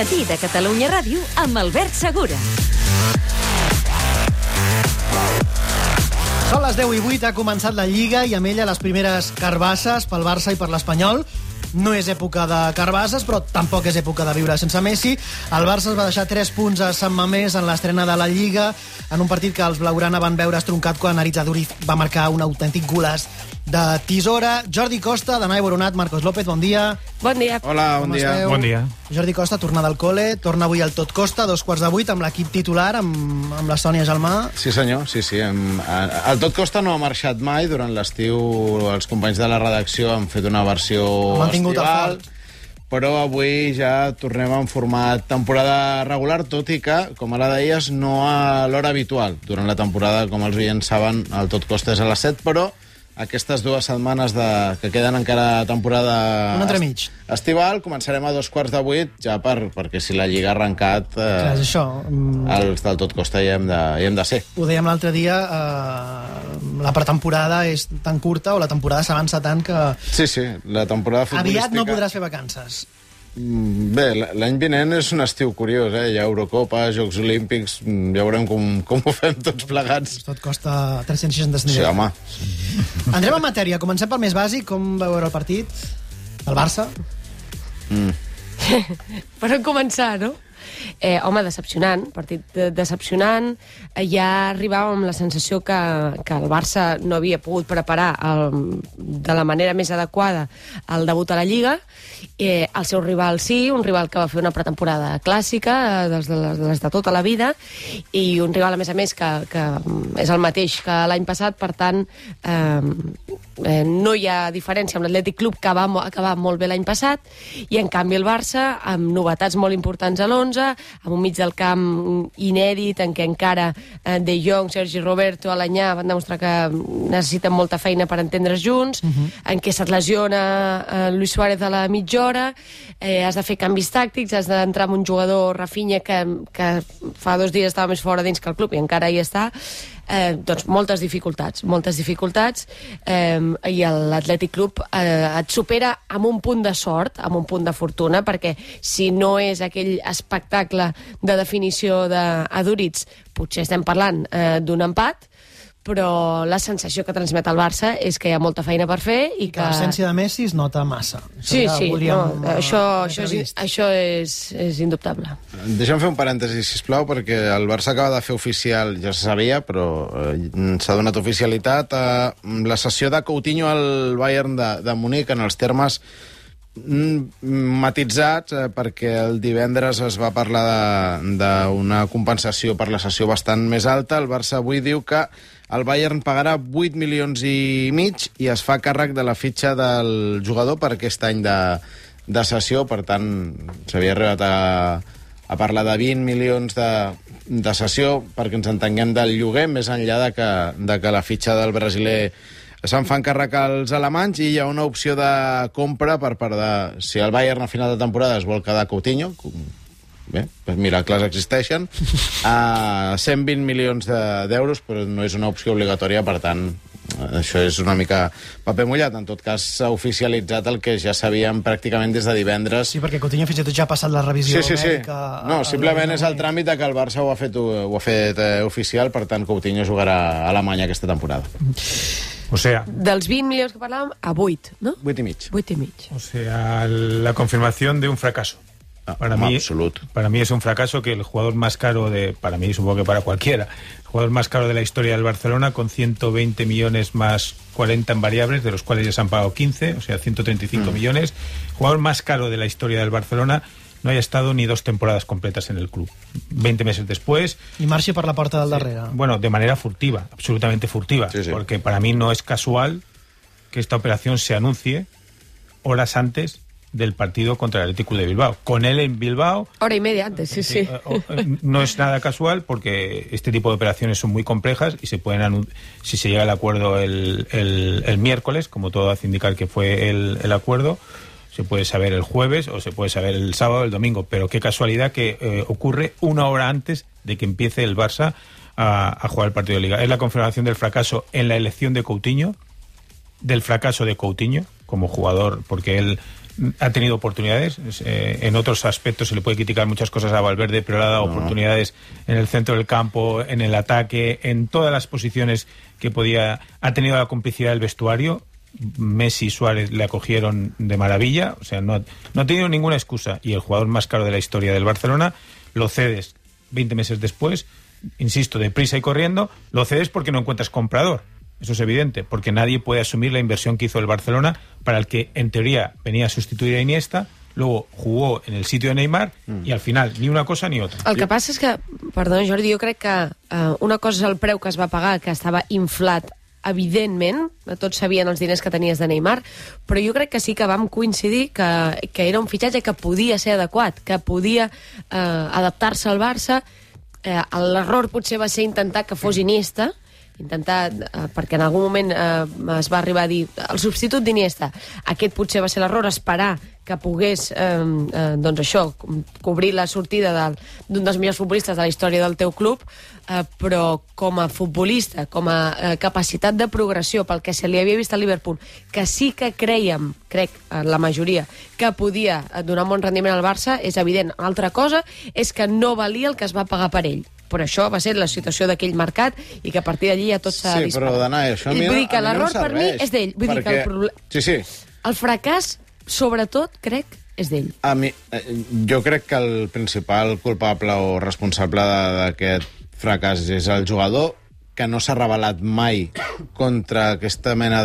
Matí de Catalunya Ràdio amb Albert Segura. Són les 10:08, ha començat la Lliga i amb ella les primeres carbasses pel Barça i per l'Espanyol. No és època de carbasses, però tampoc és època de viure sense Messi. El Barça es va deixar 3 punts a Sant Mamés en l'estrena de la Lliga, en un partit que els blaugrana van veure estroncat quan Aritz Aduriz va marcar un autèntic golaç de tisora. Jordi Costa, Danai Boronat, Marcos López, bon dia. Bon dia. Hola, bon dia. Esteu? Bon dia. Jordi Costa, tornada al col·le, torna avui al Tot Costa, 7:15, amb l'equip titular, amb la Sònia Gelmà. Sí, senyor, sí. El Tot Costa no ha marxat mai. Durant l'estiu els companys de la redacció han fet una versió estival, però avui ja tornem en format temporada regular, tot i que, com ara deies, no a l'hora habitual. Durant la temporada, com els oients saben, el Tot Costa és a les 7, però aquestes 2 setmanes que queden encara temporada Un entremig. estival, començarem a 7:45, ja perquè si la Lliga ha arrencat, Clar, és això. els del Tot Costa hi hem de ser. Ho dèiem l'altre dia, la pretemporada és tan curta, o la temporada s'avança tant que Sí, la temporada futbolística... aviat no podràs fer vacances. Bé, l'any vinent és un estiu curiós, Hi ha Eurocopa, Jocs Olímpics, ja veurem com ho fem tots plegats. Tot costa 365 Sí, home. Entrem en matèria. Comencem pel més bàsic. Com vau veure el partit? El Barça? Per on començar, no? Home, decepcionant, partit decepcionant. Ja arribàvem amb la sensació que el Barça no havia pogut preparar de la manera més adequada el debut a la Lliga. El seu rival sí, un rival que va fer una pretemporada clàssica, de les de tota la vida, i un rival, a més, que és el mateix que l'any passat, per tant, no hi ha diferència amb l'Atlètic Club, que va acabar molt bé l'any passat, i en canvi el Barça, amb novetats molt importants a l'11, amb un mig del camp inèdit, en què encara De Jong, Sergi Roberto, Alanyà van demostrar que necessiten molta feina per entendre's junts, en què se't lesiona Luis Suárez a la mitja hora, has de fer canvis tàctics, has d'entrar amb un jugador, Rafinha, que fa 2 dies estava més fora dins que el club i encara hi està. Doncs moltes dificultats, i l'Atlètic Club et supera amb un punt de sort, amb un punt de fortuna, perquè si no és aquell espectacle de definició d'Aduriz, potser estem parlant d'un empat, però la sensació que transmet el Barça és que hi ha molta feina per fer i que... L'absència de Messi es nota massa. Sí, això és indubtable. Deixa'm fer un parèntesi, sisplau, perquè el Barça acaba de fer oficial, ja se sabia, però s'ha donat oficialitat a la cessió de Coutinho al Bayern de Munic en els termes matitzats, perquè el divendres es va parlar d'una compensació per la cessió bastant més alta. El Barça avui diu que el Bayern pagarà 8,5 milions i es fa càrrec de la fitxa del jugador per aquest any de cessió. Per tant, s'havia arribat a parlar de 20 milions de cessió, perquè ens entenguem, del lloguer, més enllà de que la fitxa del brasiler se'n fan càrrec als alemanys, i hi ha una opció de compra per part de... Si el Bayern a final de temporada es vol quedar Coutinho, bé, doncs miracles existeixen, a 120 milions d'euros, però no és una opció obligatòria, per tant, això és una mica paper mullat. En tot cas, s'ha oficialitzat el que ja sabíem pràcticament des de divendres. Sí, perquè Coutinho fins i tot ja ha passat la revisió mèdica. No, simplement és el tràmit que el Barça ho ha fet oficial, per tant, Coutinho jugarà a Alemanya aquesta temporada. O sea... Dels 20 milions que parlàvem, a 8, ¿no? 8,5. 8,5. O sea, la confirmación de un fracaso. Para mí es un fracaso que el jugador más caro para mí, supongo que para cualquiera, el jugador más caro de la historia del Barcelona, con 120 millones más 40 en variables, de los cuales ya se han pagado 15, o sea, 135 millones. El jugador más caro de la historia del Barcelona no haya estado ni 2 temporadas completas en el club. 20 meses después... I marxi per la porta del darrere. Bueno, de manera furtiva, absolutamente furtiva, porque para mí no es casual que esta operación se anuncie horas antes del partido contra el Athletic de Bilbao. Con él en Bilbao... Hora y media antes, sí. No es nada casual, porque este tipo de operaciones son muy complejas y se pueden si se llega al acuerdo el miércoles, como todo hace indicar que fue el acuerdo, se puede saber el jueves o se puede saber el sábado o el domingo, pero qué casualidad que ocurre una hora antes de que empiece el Barça a jugar el partido de Liga. Es la confirmación del fracaso en la elección de Coutinho, del fracaso de Coutinho como jugador, porque él ha tenido oportunidades. En otros aspectos se le puede criticar muchas cosas a Valverde, pero le ha dado oportunidades en el centro del campo, en el ataque, en todas las posiciones que podía. Ha tenido la complicidad del vestuario. Messi y Suárez le acogieron de maravilla. O sea, no ha tenido ninguna excusa. Y el jugador más caro de la historia del Barcelona lo cedes 20 meses después, insisto, deprisa y corriendo, lo cedes porque no encuentras comprador. Eso es evidente, porque nadie puede asumir la inversión que hizo el Barcelona, para el que en teoría venía a sustituir a Iniesta, luego jugó en el sitio de Neymar i al final ni una cosa ni otra. El que passa és que, perdona Jordi, jo crec que una cosa és el preu que es va pagar, que estava inflat evidentment, tots sabien els diners que tenies de Neymar, però jo crec que sí que vam coincidir que era un fitxatge que podia ser adequat, que podia adaptar-se al Barça. L'error potser va ser intentar que fos Iniesta, perquè en algun moment es va arribar a dir el substitut d'Iniesta. Aquest potser va ser l'error, esperar que pogués doncs això, cobrir la sortida d'un dels millors futbolistes de la història del teu club, però com a futbolista, com a capacitat de progressió, pel que se li havia vist a Liverpool, que sí que crèiem, crec, la majoria, que podia donar un bon rendiment al Barça, és evident. Altra cosa és que no valia el que es va pagar per ell. Però això va ser la situació d'aquell mercat i que a partir d'allí ja tot s'ha disparat. Sí, però Dana, això a mi no serveix. Vull dir que l'error per mi és d'ell. Vull dir que el fracàs, sobretot, crec, és d'ell. Jo crec que el principal culpable o responsable d'aquest fracàs és el jugador, que no s'ha revelat mai contra aquesta mena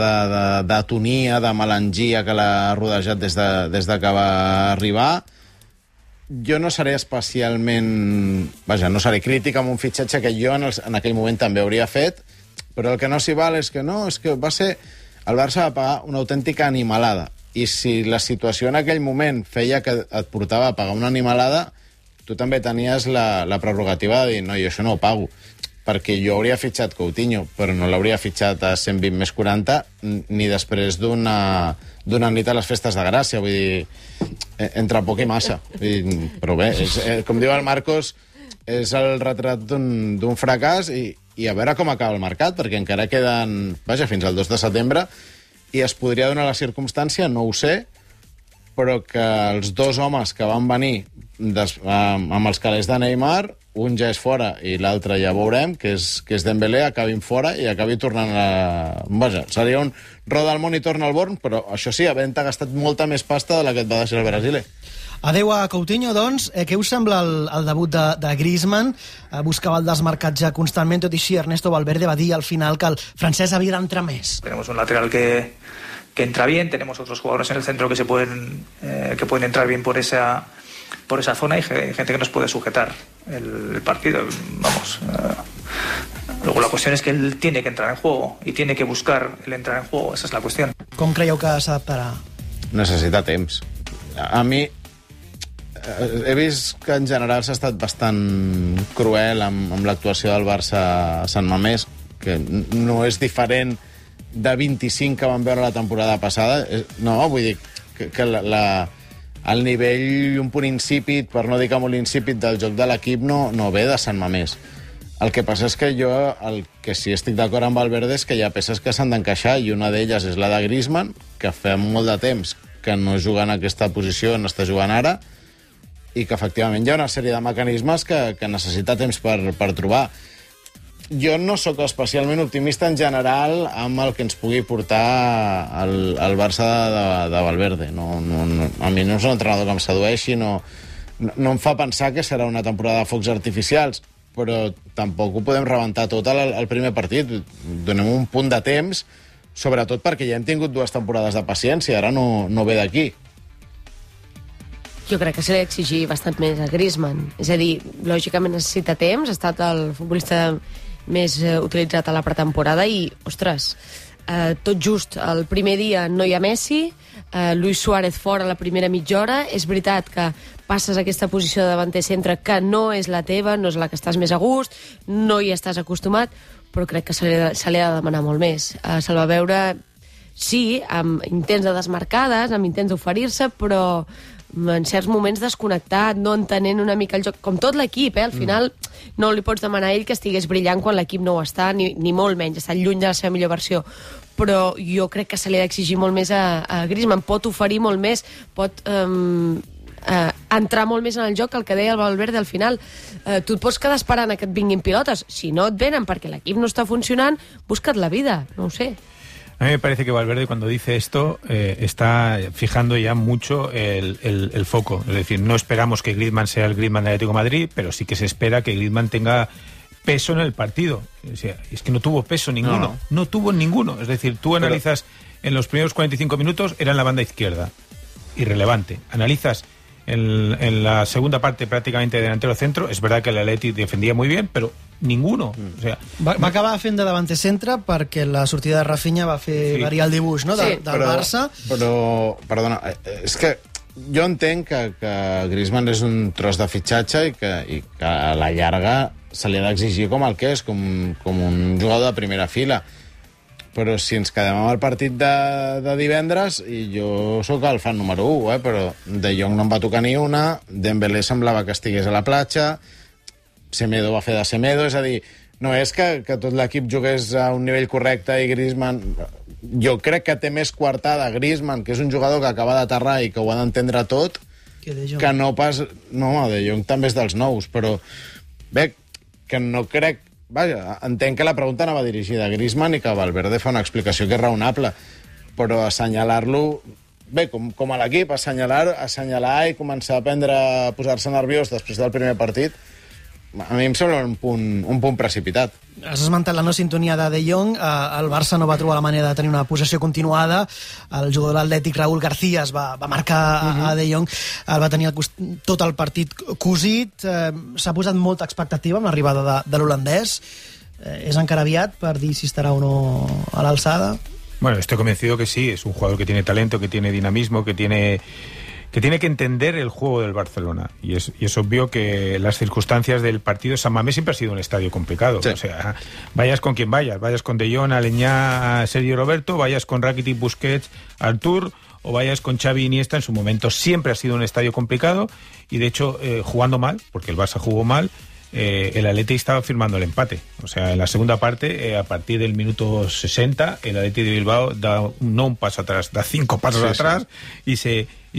d'atonia, de melangia que l'ha rodejat des de que va arribar. Jo no seré especialment... Vaja, no seré crític amb un fitxatge que jo en aquell moment també hauria fet, però el que no s'hi val és que va ser... El Barça va pagar una autèntica animalada. I si la situació en aquell moment feia que et portava a pagar una animalada, tu també tenies la prerrogativa de dir no, jo això no ho pago. Perquè jo hauria fitxat Coutinho, però no l'hauria fitxat a 120 més 40 ni després d'una nit a les festes de Gràcia. Vull dir, entre poc i massa. Però bé, com diu el Marcos, és el retrat d'un fracàs i a veure com acaba el mercat, perquè encara queden, fins al 2 de setembre, i es podria donar la circumstància, no ho sé, però que els dos homes que van venir amb els calés de Neymar, un ja és fora i l'altre ja veurem, que és Dembélé, acabin fora i acabi tornant seria un roda al món i torna al Born, però això sí, havent-te gastat molta més pasta de la que et va deixar el Brasiler. Adeu a Coutinho, doncs. Què us sembla el debut de Griezmann? Buscava el desmarcatge constantment, tot i així Ernesto Valverde va dir al final que el francès havia d'entrar més. Tenemos un lateral que entra bien, tenemos otros jugadores en el centro que que pueden entrar bien por esa zona y gente que nos puede sujetar el partido. Luego la cuestión es que él tiene que entrar en juego y tiene que buscar el entrar en juego, esa es la cuestión. Com creieu que s'adaptarà? Necessita temps. A mi he vist que en general s'ha estat bastant cruel amb l'actuació del Barça a Sant Mamés, que no és diferent de 25 que vam veure la temporada passada. No, vull dir que el nivell un punt insípid, per no dir que molt insípid, del joc de l'equip no ve de Sant Mamés. El que passa és que jo, el que sí estic d'acord amb Valverde és que hi ha peces que s'han d'encaixar, i una d'elles és la de Griezmann, que fa molt de temps que no juga en aquesta posició on està jugant ara, i que efectivament hi ha una sèrie de mecanismes que necessita temps per trobar. Jo no sóc especialment optimista en general amb el que ens pugui portar el Barça de Valverde. A mi no és un entrenador que em sedueixi, no em fa pensar que serà una temporada de focs artificials, però tampoc ho podem rebentar tot al primer partit. Donem un punt de temps, sobretot perquè ja hem tingut 2 temporades de paciència, ara no ve d'aquí. Jo crec que se li ha d'exigir bastant més a Griezmann. És a dir, lògicament necessita temps, ha estat el futbolista més utilitzat a la pretemporada i, ostres, tot just el primer dia no hi ha Messi, Luis Suárez fora la primera mitja hora. És veritat que passes a aquesta posició de davanter centre que no és la teva, no és la que estàs més a gust, no hi estàs acostumat, però crec que se li ha de demanar molt més. Se'l va veure, sí, amb intents de desmarcades, amb intents d'oferir-se, però en certs moments desconnectat, no entenent una mica el joc, com tot l'equip, al final no li pots demanar a ell que estigués brillant quan l'equip no ho està, ni molt menys, està lluny de la seva millor versió, però jo crec que se li ha d'exigir molt més a Griezmann, pot oferir molt més, pot entrar molt més en el joc, el que deia el Valverde al final. Tu et pots quedar esperant que et vinguin pilotes, si no et venen perquè l'equip no està funcionant, busca't la vida, no ho sé. A mí me parece que Valverde, cuando dice esto, está fijando ya mucho el foco. Es decir, no esperamos que Griezmann sea el Griezmann del Atlético de Madrid, pero sí que se espera que Griezmann tenga peso en el partido. O sea, es que no tuvo peso ninguno. No tuvo ninguno. Es decir, tú analizas en los primeros 45 minutos, era en la banda izquierda. Irrelevante. Analizas en la segunda parte prácticamente de delantero centro, es verdad que el Atleti defendía muy bien, pero ninguno. O sea, va acabar fent de davanter centre perquè la sortida de Rafinha va fer variar el dibuix, no? Del Barça. Però, perdona, és que jo entenc que Griezmann és un tros de fitxatge i que a la llarga se li ha d'exigir com el que és, com un jugador de primera fila. Però si ens quedem amb el partit de divendres, i jo sóc el fan número 1, però De Jong no en va tocar ni una, Dembélé semblava que estigués a la platja, Semedo va fer de Semedo, és a dir, no és que tot l'equip jugués a un nivell correcte i Griezmann... Jo crec que té més coartada Griezmann, que és un jugador que acaba d'aterrar i que ho ha d'entendre tot, que no pas... No, De Jong també és dels nous, però bé, que no crec... Vaja, entenc que la pregunta anava dirigida a Griezmann i que Valverde fa una explicació que és raonable, però assenyalar-lo... Bé, com a l'equip, assenyalar i començar a posar-se nerviós després del primer partit, a mi em sembla un punt precipitat. Has esmentat la no sintonia de Jong. El Barça no va trobar la manera de tenir una possessió continuada. El jugador de l'Atlètic, Raúl García, va marcar a De Jong. El va tenir tot el partit cosit. S'ha posat molta expectativa amb l'arribada de l'holandès. És encara aviat per dir si estarà o no a l'alçada? Bueno, estoy convencido que sí. Es un jugador que tiene talento, que tiene dinamismo, que tiene que entender el juego del Barcelona. Y es obvio que las circunstancias del partido... San Mamés siempre ha sido un estadio complicado. Sí. O sea, vayas con quien vayas con De Jong, Aleñá, Sergio Roberto, vayas con Rakitic, Busquets, Artur, o vayas con Xavi, Iniesta, en su momento siempre ha sido un estadio complicado, y de hecho, jugando mal, porque el Barça jugó mal, el Atleti estaba firmando el empate. O sea, en la segunda parte, a partir del minuto 60, el Atleti de Bilbao da no un paso atrás, da 5 pasos atrás. Y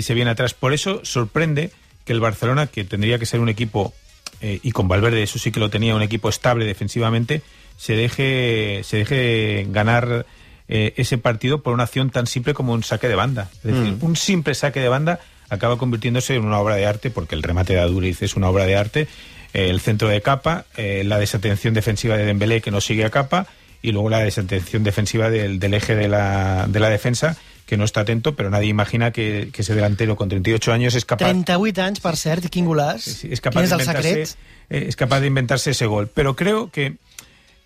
se viene atrás. Por eso sorprende que el Barcelona, que tendría que ser un equipo, y con Valverde eso sí que lo tenía, un equipo estable defensivamente, se deje ganar ese partido por una acción tan simple como un saque de banda. Es decir, un simple saque de banda acaba convirtiéndose en una obra de arte, porque el remate de Aduriz es una obra de arte, el centro de Capa, la desatención defensiva de Dembélé que no sigue a Capa, y luego la desatención defensiva del eje de la defensa, que no está atento, pero nadie imagina que ese delantero con 38 años es capaz... 38 anys, per cert, i quin golaç. Sí, es capaz de inventarse ese gol. Pero creo que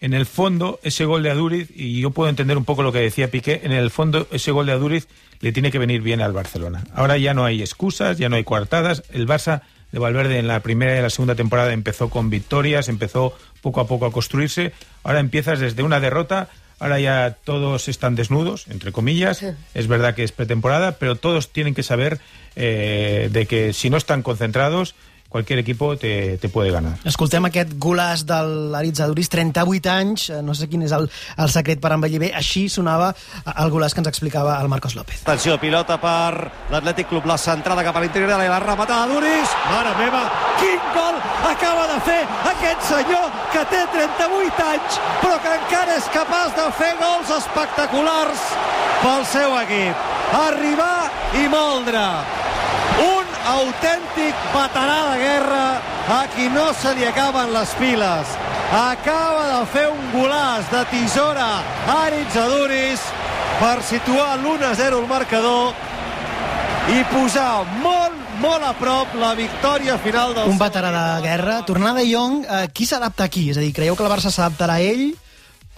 en el fondo ese gol de Aduriz, y yo puedo entender un poco lo que decía Piqué, en el fondo ese gol de Aduriz le tiene que venir bien al Barcelona. Ahora ya no hay excusas, ya no hay coartadas. El Barça de Valverde en la primera y la segunda temporada empezó con victorias, empezó poco a poco a construirse. Ahora empiezas desde una derrota. Ahora ya todos están desnudos, entre comillas. Es verdad que es pretemporada, pero todos tienen que saber de que si no están concentrados, cualquier equipo te puede ganar. Escoltem aquest golaç de l'Aritz Aduriz, 38 anys, no sé quin és el secret per envellir bé. Així sonava el golaç que ens explicava el Marcos López. Atenció, pilota per l'Atlètic Club, la centrada cap a l'interior de la rematada d'Aduriz. Mare meva, quin gol acaba de fer aquest senyor que té 38 anys, però que encara és capaç de fer gols espectaculars pel seu equip. Arribar i moldre. Un autèntic veterà de guerra a qui no se li acaben les piles. Acaba de fer un golaç de tisora Aritz Aduriz per situar l'1-0 al marcador i posar molt a prop la victòria final del... Un veterà de guerra. Tornar De Jong, qui s'adapta aquí? És a dir, creieu que el Barça s'adaptarà a ell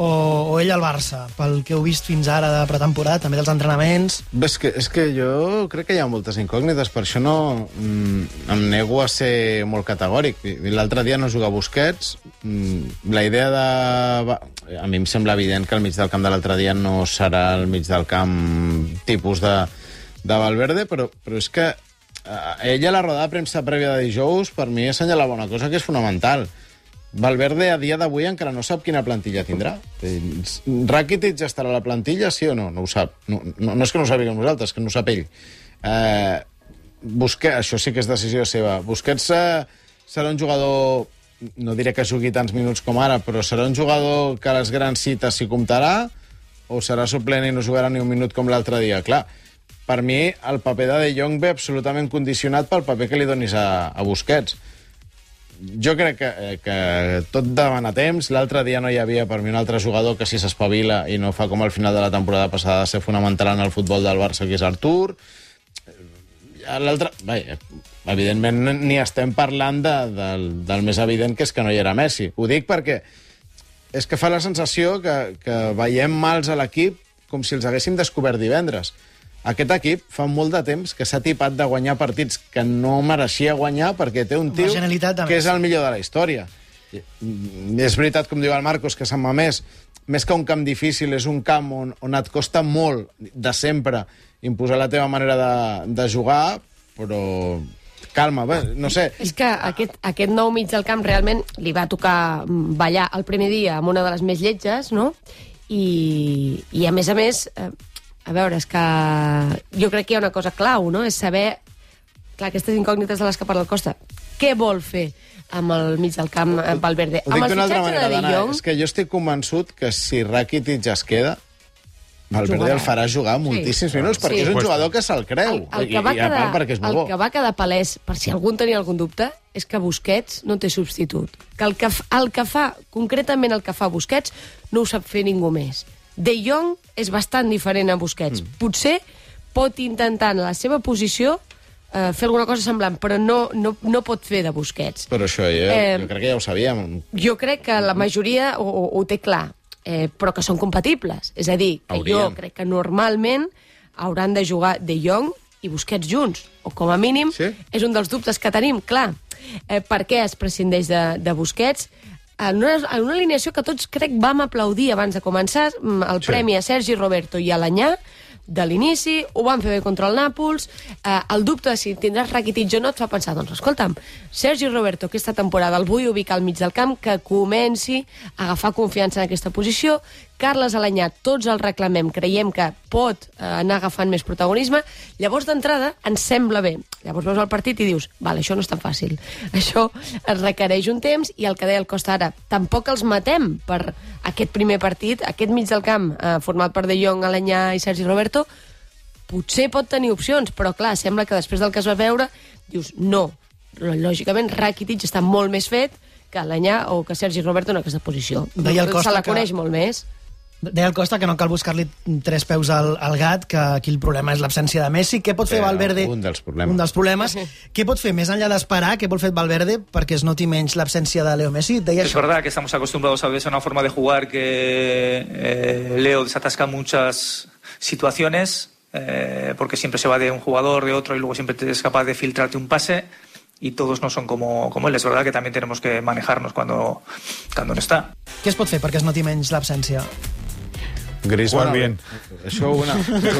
o ell al Barça, pel que heu vist fins ara de pretemporada, també dels entrenaments? Bé, és que jo crec que hi ha moltes incògnites, per això no em nego a ser molt categòric. L'altre dia no juga Busquets, la idea de... A mi em sembla evident que el mig del camp de l'altre dia no serà el mig del camp tipus de Valverde, però és que ella a la roda de premsa prèvia de dijous, per mi assenyalava una cosa que és fonamental. Valverde a dia d'avui encara no sap quina plantilla tindrà. Rakitic estarà a la plantilla, sí o no? No ho sap. No és que no ho sàpiguem nosaltres, que no ho sap ell. Busquets, això sí que és decisió seva. Busquets serà un jugador, no diré que jugui tants minuts com ara, però serà un jugador que a les grans cites s'hi comptarà, o serà suplent i no jugarà ni un minut com l'altre dia. Clar, per mi el paper de Jong ve absolutament condicionat pel paper que li donis a Busquets. Jo crec que tot demana temps. L'altre dia no hi havia per mi un altre jugador que si s'espavila i no fa com al final de la temporada passada de ser fonamental en el futbol del Barça, que és Artur. L'altre, evidentment ni estem parlant del més evident, que és que no hi era Messi. Ho dic perquè és que fa la sensació que veiem mals a l'equip com si els haguéssim descobert divendres. Aquest equip fa molt de temps que s'ha tipat de guanyar partits que no mereixia guanyar perquè té un tio que és el millor de la història. És veritat, com diu el Marcos, que Sant Mamés, més que un camp difícil, és un camp on et costa molt, de sempre, imposar la teva manera de jugar, però calma, no sé. És que aquest nou mig del camp realment li va tocar ballar el primer dia amb una de les més lletges, no? I a més, a veure, és que jo crec que hi ha una cosa clau, no? És saber, clar, aquestes incògnites de les que parla el Costa, què vol fer amb el mig del camp Valverde? Ho dic d'una altra manera, Dana, és que jo estic convençut que si Rakitic es queda, Valverde el farà jugar moltíssims minuts, perquè és un jugador que se'l creu, i a part perquè és molt bo. El que va quedar palès, per si algú en tenia algun dubte, és que Busquets no té substitut. Que el que fa, concretament el que fa Busquets, no ho sap fer ningú més. De Jong és bastant diferent a Busquets. Potser pot intentar en la seva posició fer alguna cosa semblant, però no pot fer de Busquets. Però això jo crec que ja ho sabíem. Jo crec que la majoria ho té clar, però que són compatibles. És a dir, que jo crec que normalment hauran de jugar De Jong i Busquets junts, o com a mínim és un dels dubtes que tenim, clar. Per què es prescindeix de Busquets? En una alineació que tots crec vam aplaudir abans de començar el premi a Sergi Roberto i a l'Anyà de l'inici, ho van fer bé contra el Nàpols. El dubte de si tindràs Rakitic o no et fa pensar, doncs escolta'm, Sergi Roberto aquesta temporada el vull ubicar al mig del camp, que comenci a agafar confiança en aquesta posició. Carles Alanyà, tots el reclamem, creiem que pot anar agafant més protagonisme. Llavors, d'entrada, ens sembla bé. Llavors veus el partit i dius, vale, això no és tan fàcil. Això es requereix un temps, i el que deia el Costa ara, tampoc els matem per aquest primer partit, aquest mig del camp, format per De Jong, Alanyà i Sergi Roberto, potser pot tenir opcions, però clar, sembla que després del que es va veure, dius, no. Lògicament, Rakitic està molt més fet que Alanyà o que Sergi Roberto en aquesta posició. Se la coneix molt més. Deia el Costa que no cal buscar-li tres peus al gat, que aquí el problema és l'absència de Messi. Què pot fer Valverde? Un dels problemes. Un dels problemes. Què pot fer, més enllà d'esperar, què vol fer Valverde perquè es noti menys l'absència de Leo Messi? Es verdad que estamos acostumbrados a veces a una forma de jugar que Leo desatasca muchas situaciones, porque siempre se va de un jugador, de otro, y luego siempre es capaz de filtrarte un pase, y todos no son como él. Es verdad que también tenemos que manejarnos cuando no está. Què es pot fer perquè es noti menys l'absència? Griezmann, jugar bien.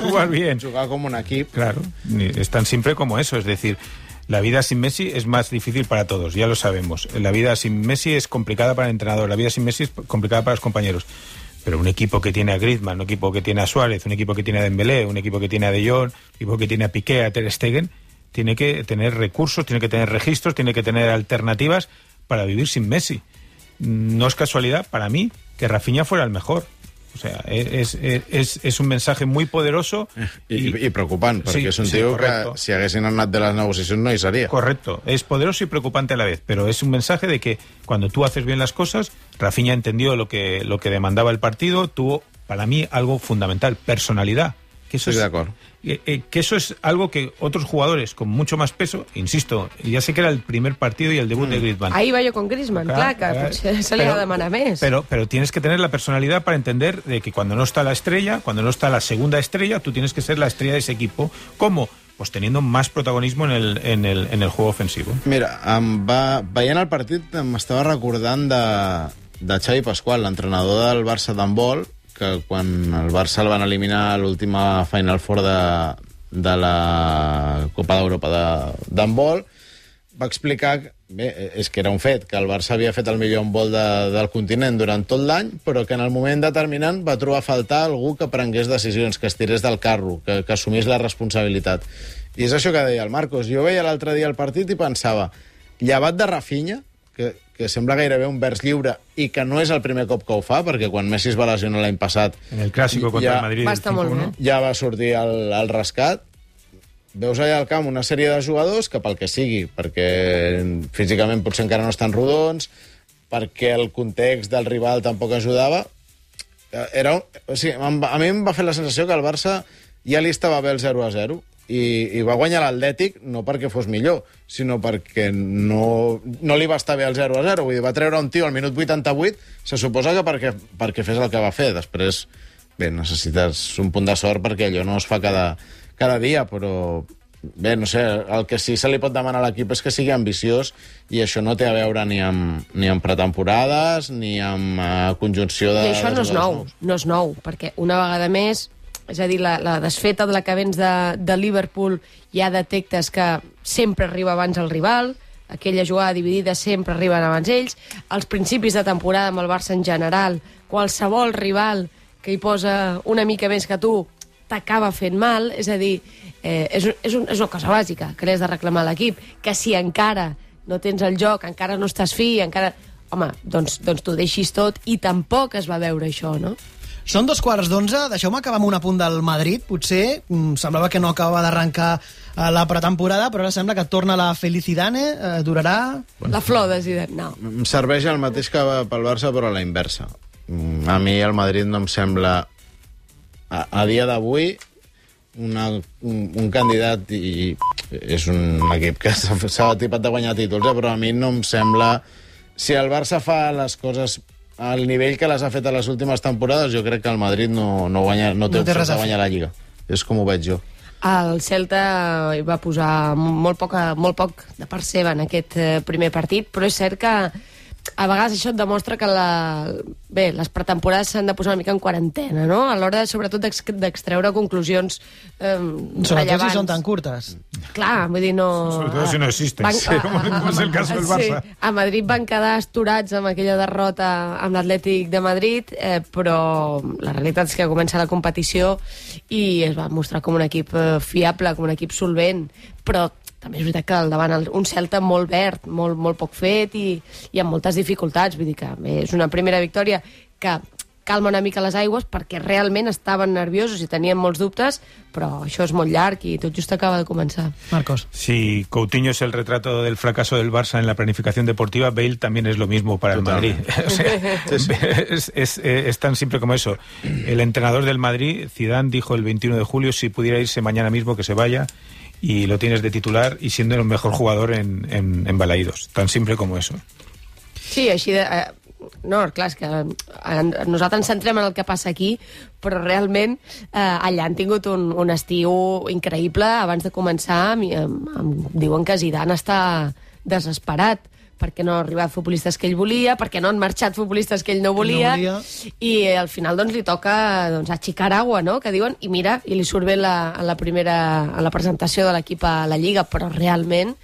Jugar bien. Jugar como un equipo. Claro, es tan simple como eso. Es decir, la vida sin Messi es más difícil para todos, ya lo sabemos. La vida sin Messi es complicada para el entrenador, la vida sin Messi es complicada para los compañeros. Pero un equipo que tiene a Griezmann, un equipo que tiene a Suárez, un equipo que tiene a Dembélé, un equipo que tiene a De Jong, un equipo que tiene a Piqué, a Ter Stegen, tiene que tener recursos, tiene que tener registros, tiene que tener alternativas para vivir sin Messi. No es casualidad, para mí, que Rafinha fuera el mejor. O sea, és un mensaje muy poderoso i preocupant, perquè és un tío que si haguessin anat de las negociacions no hi sería. Correcto, es poderoso y preocupante a la vez, pero es un mensaje de que cuando tú haces bien las cosas, Rafinha entendió lo que demandaba el partido, tuvo, para mí, algo fundamental, personalidad. Que eso Estoy de acuerdo. Que eso es algo que otros jugadores con mucho más peso, insisto, ya sé que era el primer partido y el debut de Griezmann. Ahí va yo con Griezmann, clar, que se li ha de demanar més. Pero tienes que tener la personalidad para entender de que cuando no está la estrella, cuando no está la segunda estrella, tú tienes que ser la estrella de ese equipo. ¿Cómo? Pues teniendo más protagonismo en el juego ofensivo. Mira, veient el partit m'estava recordant de Xavi Pasqual, l'entrenador del Barça d'handbol, que quan el Barça el van eliminar a l'última Final Four la Copa d'Europa d'handbol, va explicar és que era un fet, que el Barça havia fet el millor handbol del continent durant tot l'any, però que en el moment determinant va trobar a faltar algú que prengués decisions, que es tirés del carro, que assumís la responsabilitat. I és això que deia el Marcos. Jo veia l'altre dia el partit i pensava, llevat de Rafinha, que sembla gairebé un vers lliure i que no és el primer cop que ho fa, perquè quan Messi es va lesionar l'any passat en el Clàsico contra el Madrid va estar molt bé. Ja va sortir el rescat. Veus allà al camp una sèrie de jugadors que pel que sigui, perquè físicament potser encara no estan rodons, perquè el context del rival tampoc ajudava, o sigui, a mi em va fer la sensació que el Barça ja li estava bé el 0-0 i va guanyar l'Atlètic no perquè fos millor, sinó perquè no li va estar bé el 0-0. Vull dir, va treure un tio al minut 88, se suposa que perquè fes el que va fer. Després, bé, necessites un punt de sort perquè allò no es fa cada dia, però bé, no sé, el que sí se li pot demanar a l'equip és que sigui ambiciós, i això no té a veure ni amb pretemporades ni amb conjunció de... I això no és nou, perquè una vegada més, és a dir, la desfeta de la que vens de Liverpool, ja detectes que sempre arriba abans el rival, aquella jugada dividida sempre arriben abans ells, als principis de temporada amb el Barça en general, qualsevol rival que hi posa una mica més que tu t'acaba fent mal, és a dir, és una cosa bàsica que l'has de reclamar a l'equip, que si encara no tens el joc, encara no estàs fi, encara... Home, doncs t'ho deixis tot, i tampoc es va veure això, no? Són 2:15, deixeu-me acabar amb un apunt del Madrid, potser, semblava que no acabava d'arrencar la pretemporada, però ara sembla que torna la Felicidane, durarà... La flor de Zidane, no. Em serveix el mateix que pel Barça, però a la inversa. A mi el Madrid no em sembla... A dia d'avui, un candidat, i és un equip que s'ha tipat de guanyar títols, però a mi no em sembla... Si el Barça fa les coses al nivell que les ha fet a les últimes temporades, jo crec que el Madrid no té opcions de guanyar la Lliga. És com ho veig jo. El Celta hi va posar molt poc de part seva en aquest primer partit, però és cert que a vegades això et demostra que les pretemporades s'han de posar una mica en quarantena, no? A l'hora, sobretot, d'extreure conclusions rellevants. Sobretot si són tan curtes. Clar, vull dir, no... Sobretot si no existes, com és el cas del Barça. Sí, a Madrid van quedar astorats amb aquella derrota amb l'Atlètic de Madrid, però la realitat és que comença la competició i es va mostrar com un equip fiable, com un equip solvent, però també és veritat que al davant un Celta molt verd, molt poc fet i amb moltes dificultats. Vull dir que és una primera victòria que calma una mica les aigües perquè realment estaven nerviosos i tenien molts dubtes, però això és molt llarg i tot just acaba de començar. Marcos. Si Coutinho es el retrato del fracaso del Barça en la planificación deportiva, Bale también es lo mismo para el Madrid. O sea, es tan simple como eso. El entrenador del Madrid, Zidane, dijo el 21 de julio, si pudiera irse mañana mismo que se vaya, y lo tienes de titular y siendo el mejor jugador en Balaídos. Tan simple como eso. Sí, així de... No, clar, és que nosaltres ens centrem en el que passa aquí, però realment allà han tingut un estiu increïble. Abans de començar diuen que Zidane està desesperat perquè no han arribat futbolistes que ell volia, perquè no han marxat futbolistes que ell no volia. I al final doncs, li toca axicar agua, no?, que diuen, i mira, i li surt bé a la presentació de l'equip a la Lliga, però realment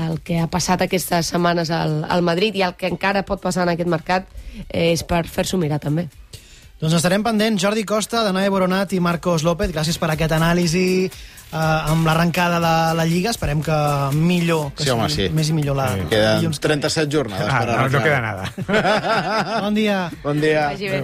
el que ha passat aquestes setmanes al Madrid i el que encara pot passar en aquest mercat és per fer-s'ho mirar també. Doncs estarem pendents. Jordi Costa, Danae Boronat i Marcos López, gràcies per aquest anàlisi amb l'arrencada de la Lliga. Esperem que millor, que sí. Més i millor la... Queden 37 jornades per arrencar. No queda nada. Bon dia. Bon dia. Vagi bé.